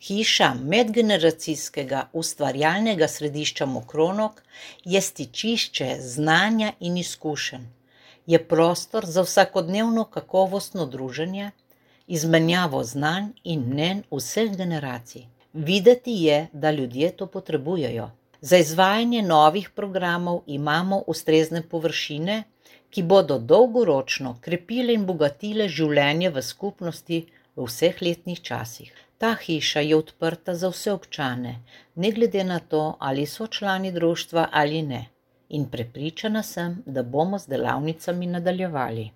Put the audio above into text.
Hiša medgeneracijskega ustvarjalnega središča Mokronog je stičišče znanja in izkušenj. Je prostor za vsakodnevno kakovostno druženje, izmenjavo znanj in mnenj vseh generacij. Videti je, da ljudje to potrebujejo. Za izvajanje novih programov imamo ustrezne površine, ki bodo dolgoročno krepile in bogatile življenje v skupnosti v vseh letnih časih. Ta hiša je odprta za vse občane, ne glede na to, ali so člani društva ali ne. In prepričana sem, da bomo z delavnicami nadaljevali.